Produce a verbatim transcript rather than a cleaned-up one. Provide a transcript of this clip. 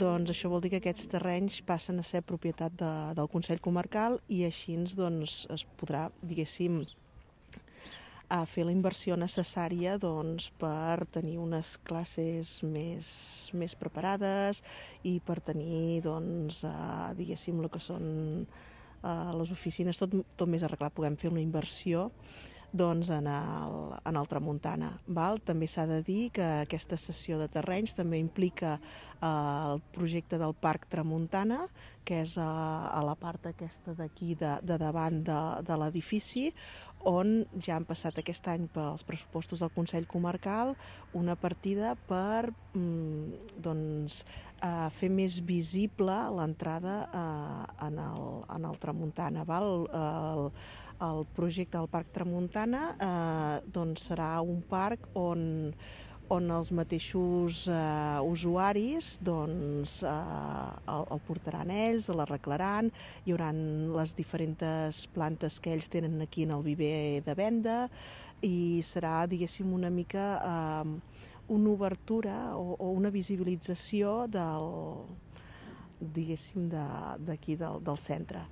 doncs això vol dir que aquests terrenys passen a ser propietat de, del Consell Comarcal i així doncs, es podrà, diguéssim, a fer la inversió necessària doncs, per tenir unes classes més, més preparades i per tenir, doncs, eh, diguéssim, el que són eh, les oficines, tot, tot més arreglat. Puguem fer una inversió doncs, en, el, en el Tramuntana. Val? També s'ha de dir que aquesta cessió de terrenys també implica eh, el projecte del Parc Tramuntana, que és a, a la part aquesta d'aquí, de, de davant de, de l'edifici, on ja han passat aquest any pels pressupostos del Consell Comarcal una partida per mm, doncs, eh, fer més visible l'entrada eh, en, el, en el Tramuntana. Val? El, el projecte del Parc Tramuntana eh, doncs serà un parc on on els mateixos eh, usuaris doncs, eh, el, el portaran ells, l'arreglaran, hi haurà les diferents plantes que ells tenen aquí en el viver de venda i serà, diguéssim, una mica eh, una obertura o, o una visibilització del, diguéssim, d'aquí de, del, del centre.